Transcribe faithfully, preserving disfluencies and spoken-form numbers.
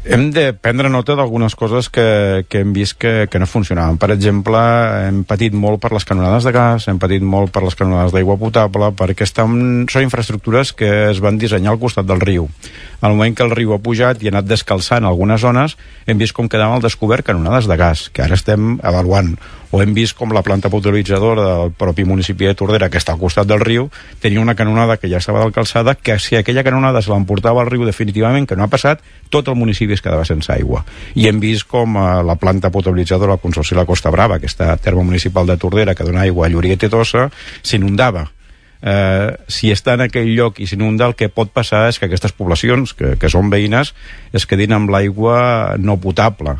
Hem de prendre nota d'algunes coses que, que hem vist que, que no funcionaven. Per exemple, hem patit molt per les canonades de gas, hem patit molt per les canonades d'aigua potable, perquè estan, són infraestructures que es van dissenyar al costat del riu. Al moment que el riu ha pujat i ha anat descalçant algunes zones, hem vist com quedaven al descobert canonades de gas, que ara estem avaluant. O hem vist com la planta potabilitzadora del propi municipi de Tordera, que està al costat del riu, tenia una canonada que ja estava calçada, que si aquella canonada se l'emportava al riu definitivament, que no ha passat, tot el municipi es quedava sense aigua. I hem vist com eh, la planta potabilitzadora del Consorci de la Costa Brava, que està a terme municipal de Tordera, que dona aigua a Lloret i Tossa, s'inundava. Eh, si està en aquell lloc i s'inunda, el que pot passar és que aquestes poblacions, que, que són veïnes, es quedin amb l'aigua no potable.